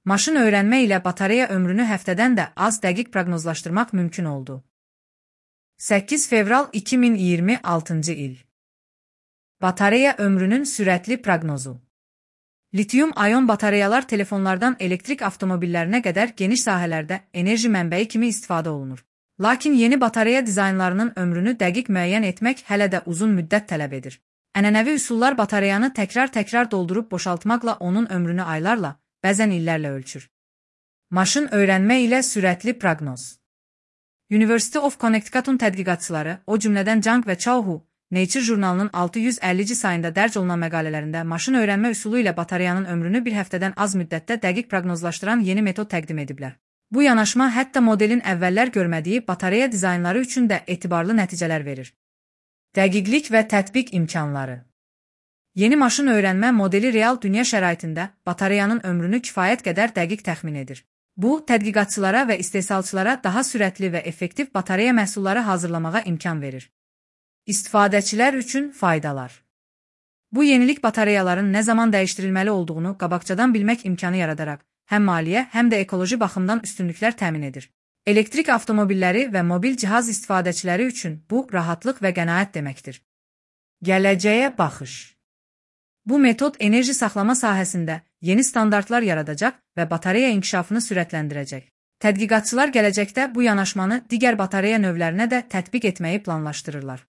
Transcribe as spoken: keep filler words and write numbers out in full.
Maşın öyrənmə ilə batareya ömrünü həftədən də az dəqiq proqnozlaşdırmaq mümkün oldu. səkkiz fevral iki min iyirmi altıncı il. Batareya ömrünün sürətli proqnozu. Litium-ayon batareyalar telefonlardan elektrik avtomobillərinə qədər geniş sahələrdə enerji mənbəyi kimi istifadə olunur. Lakin yeni batareya dizaynlarının ömrünü dəqiq müəyyən etmək hələ də uzun müddət tələb edir. Ənənəvi üsullar batareyanı təkrar-təkrar doldurub boşaltmaqla onun ömrünü aylarla, bəzən illərlə ölçür. Maşın öyrənmə ilə sürətli proqnoz. University of Connecticut'un tədqiqatçıları, o cümlədən Zhang və Chao, Nature jurnalının altı yüz əllici sayında dərc olunan məqalələrində maşın öyrənmə üsulu ilə batareyanın ömrünü bir həftədən az müddətdə dəqiq proqnozlaşdıran yeni metod təqdim ediblər. Bu yanaşma hətta modelin əvvəllər görmədiyi batareya dizaynları üçün də etibarlı nəticələr verir. Dəqiqlik və tətbiq imkanları. Yeni maşın öyrənmə modeli real dünya şəraitində batareyanın ömrünü kifayət qədər dəqiq təxmin edir. Bu, tədqiqatçılara və istehsalçılara daha sürətli və effektiv batareya məhsulları hazırlamağa imkan verir. İstifadəçilər üçün faydalar. Bu yenilik batareyaların nə zaman dəyişdirilməli olduğunu qabaqcadan bilmək imkanı yaradaraq, həm maliyyə, həm də ekoloji baxımdan üstünlüklər təmin edir. Elektrik avtomobilləri və mobil cihaz istifadəçiləri üçün bu, rahatlıq və qənaət deməkdir. Gələcəyə baxış. Bu metod enerji saxlama sahəsində yeni standartlar yaradacaq və batareya inkişafını sürətləndirəcək. Tədqiqatçılar gələcəkdə bu yanaşmanı digər batareya növlərinə də tətbiq etməyi planlaşdırırlar.